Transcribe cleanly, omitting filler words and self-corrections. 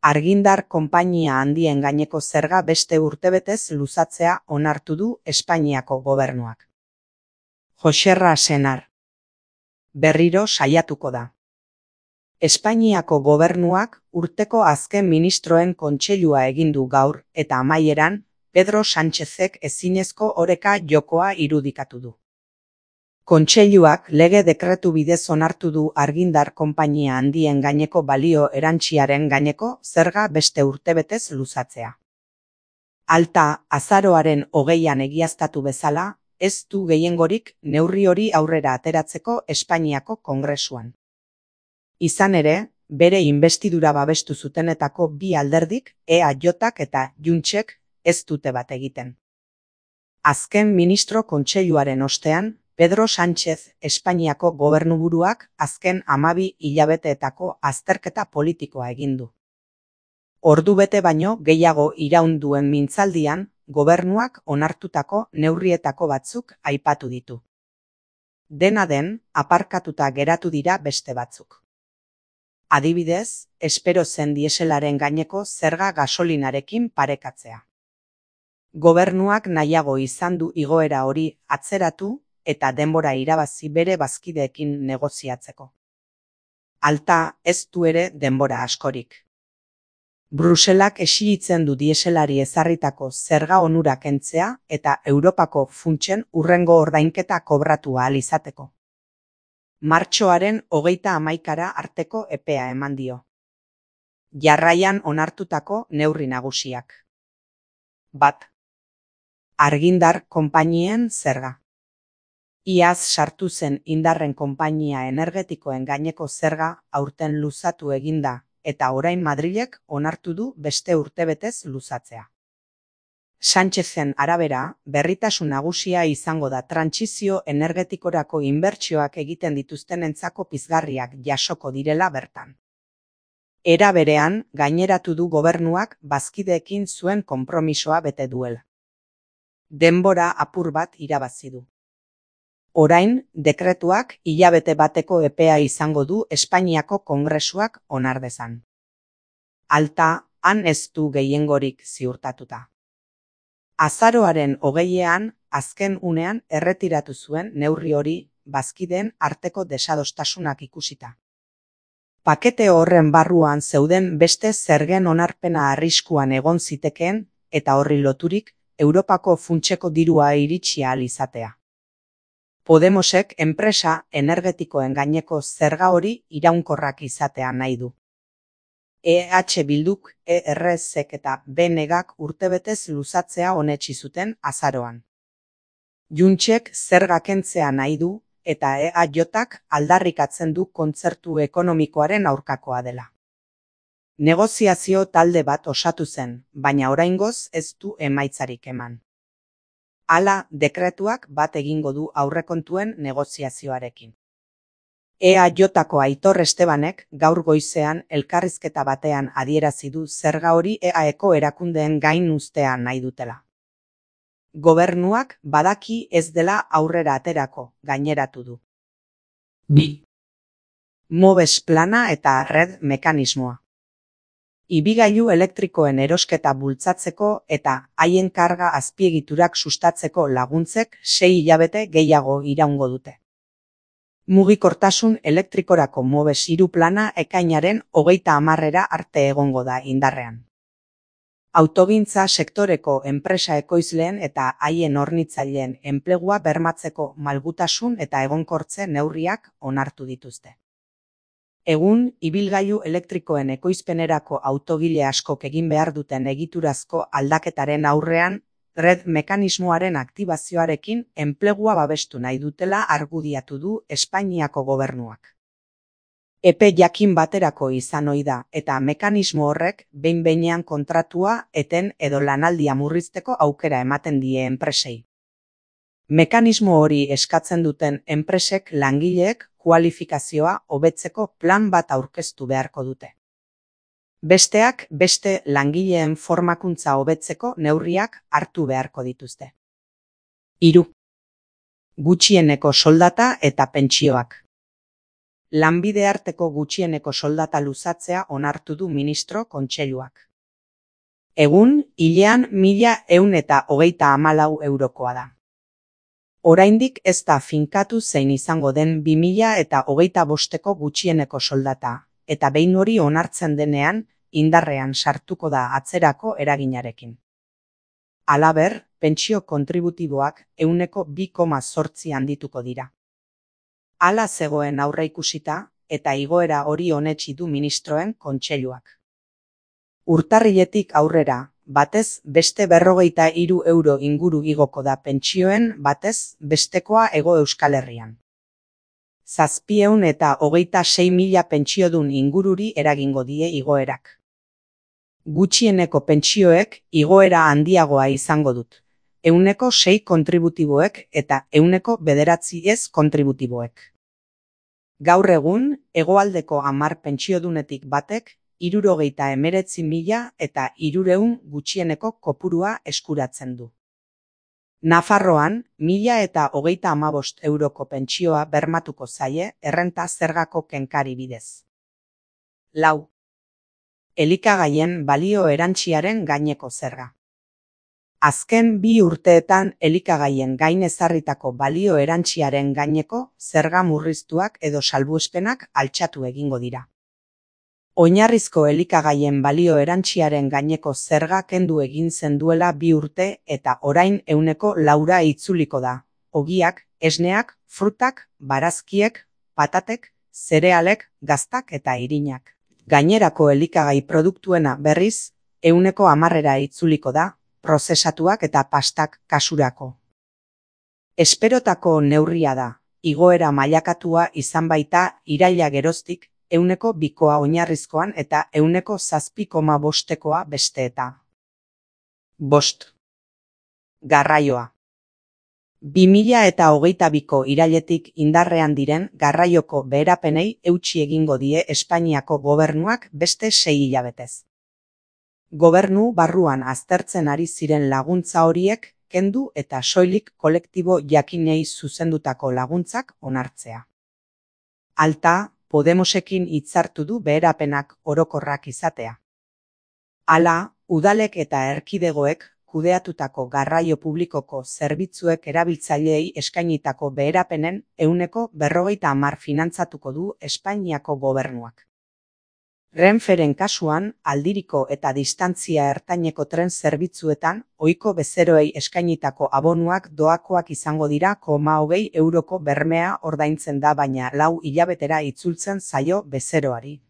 Argindar konpainia handien gaineko zerga beste urtebetez luzatzea onartu du Espainiako gobernuak. Joxerra Senar. Berriro saiatuko da. Espainiako gobernuak urteko azken ministroen kontseilua egin du gaur eta amaieran Pedro Sánchezek ezinezko oreka jokoa irudikatu du. Kontseiluak lege dekretu bidez onartu du argindar konpainia handien gaineko balio erantsiaren gaineko zerga beste urtebetez luzatzea. Alta, azaroaren 20an egiaztatu bezala, ez du gehiengorik neurri hori aurrera ateratzeko Espainiako Kongresuan. Izan ere, bere inbestidura babestu zutenetako bi alderdik, EAJak eta Juntsek, ez dute bat egiten. Azken ministro kontseiluaren ostean, Pedro Sánchez Espainiako gobernuburuak azken 12 hilabeteetako azterketa politikoa egin du. Ordubete baino gehiago iraun duen mintzaldian, gobernuak onartutako neurrietako batzuk aipatu ditu. Dena den, aparkatuta geratu dira beste batzuk. Adibidez, espero zen dieselaren gaineko zerga gasolinarekin parekatzea. Gobernuak nahiago izan du igoera hori atzeratu eta denbora irabazi bere bazkideekin negoziatzeko. Alta, ez du ere denbora askorik. Bruselak exigitzen du dieselari ezarritako zerga onurak kentzea eta Europako funtsen hurrengo ordainketa kobratu ahal izateko. Martxoaren 31 arteko epea eman dio. Jarraian onartutako neurri nagusiak. 1. Argindar konpainien zerga. Iaz sartu zen indarren konpainia energetikoen gaineko zerga aurten luzatu eginda eta orain Madrilek onartu du beste urtebetez luzatzea. Sánchezen arabera, berritasun nagusia izango da trantsizio energetikorako inbertsioak egiten dituztenentzako pizgarriak jasoko direla bertan. Era berean, gaineratu du gobernuak bazkideekin zuen konpromisoa bete duela. Denbora apur bat irabazi du. Orain, dekretuak hilabete bateko epea izango du Espainiako Kongresuak onar dezan. Alta, han ez du gehiengorik ziurtatuta. Azaroaren 20ean, azken unean erretiratu zuen neurri hori bazkideen arteko desadostasunak ikusita. Pakete horren barruan zeuden beste zergen onarpena arriskuan egon zitekeen eta horri loturik Europako funtseko dirua iritsi ahal izatea. Podemosek enpresa energetikoen gaineko zerga hori iraunkorrak izatea nahi du. EH Bilduk, ERSek eta BNGak urtebetez luzatzea onetsi zuten azaroan. Juntsek zerga kentzea nahi du eta EAJak aldarrikatzen du kontzertu ekonomikoaren aurkakoa dela. Negoziazio talde bat osatu zen, baina oraingoz ez du emaitzarik eman. Hala, dekretuak bat egingo du aurrekontuen negoziazioarekin. EAJko Aitor Estebanek gaur goizean elkarrizketa batean adierazi du zerga hori EAeko erakundeen gain uztea nahi dutela. Gobernuak badaki ez dela aurrera aterako, gaineratu du. 2. Mobes plana eta red mekanismoa. Ibigailu elektrikoen erosketa bultzatzeko eta haien karga azpiegiturak sustatzeko laguntzek 6 hilabete gehiago iraungo dute. Mugikortasun elektrikorako Mobes 3 plana ekainaren 30 arte egongo da indarrean. Autogintza sektoreko enpresa ekoizleen eta haien hornitzaileen enplegua bermatzeko malgutasun eta egonkortze neurriak onartu dituzte. Egun, ibilgailu elektrikoen ekoizpenerako autogile askok egin behar duten egiturazko aldaketaren aurrean, red mekanismoaren aktibazioarekin enplegua babestu nahi dutela argudiatu du Espainiako gobernuak. Epe jakin baterako izan ohi da eta mekanismo horrek behin-behinean kontratua eten edo lanaldia murrizteko aukera ematen die enpresei. Mekanismo hori eskatzen duten enpresek langileek kualifikazioa hobetzeko plan bat aurkeztu beharko dute. Besteak beste langileen formakuntza hobetzeko neurriak hartu beharko dituzte. 3. Gutxieneko soldata eta pentsioak. Lanbide arteko gutxieneko soldata luzatzea onartu du ministro kontseiluak. Egun, hilean 1.134 eurokoa da. Oraindik ez da finkatu zein izango den 2025ko gutxieneko soldata, eta behin hori onartzen denean, indarrean sartuko da atzerako eraginarekin. Halaber, pentsio kontributiboak 2,8% handituko dira. Hala zegoen aurreikusita, eta igoera hori onetsi du ministroen kontseiluak. Urtarriletik aurrera, batez beste 43 euro inguru igoko da pentsioen batez bestekoa Hego Euskal Herrian. 726.000 pentsiodun ingururi eragingo die igoerak. Gutxieneko pentsioek igoera handiagoa izango dut, 6% kontributiboek eta 9% ez kontributiboek. Gaur egun, hegoaldeko 10 pentsiodunetik batek 69.000 eta 300 gutxieneko kopurua eskuratzen du. Nafarroan, 1.035 euroko pentsioa bermatuko zaie errenta zergako kenkari bidez. 4. Elikagaien balio erantsiaren gaineko zerga. Azken 2 urteetan elikagaien gain ezarritako balio erantsiaren gaineko zerga murriztuak edo salbuespenak altxatu egingo dira. Oinarrizko elikagaien balio erantsiaren gaineko zerga kendu egin zen duela 2 urte eta orain 4% itzuliko da. Ogiak, esneak, frutak, barazkiek, patatek, zerealek, gaztak eta irinak. Gainerako elikagai produktuena berriz, 10% itzuliko da, prozesatuak eta pastak kasurako. Esperotako neurria da, igoera mailakatua izan baita iraila geroztik, 2% oinarrizkoan eta 7,5%koa besteeta. 5. Garraioa. 2022ko irailetik indarrean diren garraioko beherapenei eutsi egingo die Espainiako gobernuak beste 6 hilabetez. Gobernu barruan aztertzen ari ziren laguntza horiek kendu eta soilik kolektibo jakinei zuzendutako laguntzak onartzea. Alta, Podemosekin hitzartu du beherapenak orokorrak izatea. Hala, udalek eta erkidegoek kudeatutako garraio publikoko zerbitzuek erabiltzaileei eskainitako beherapenen 50% finantzatuko du Espainiako gobernuak. Renferen kasuan, aldiriko eta distantzia ertaineko tren zerbitzuetan, ohiko bezeroei eskainitako abonuak doakoak izango dira 20 euroko bermea ordaintzen da baina 4 hilabetera itzultzen zaio bezeroari.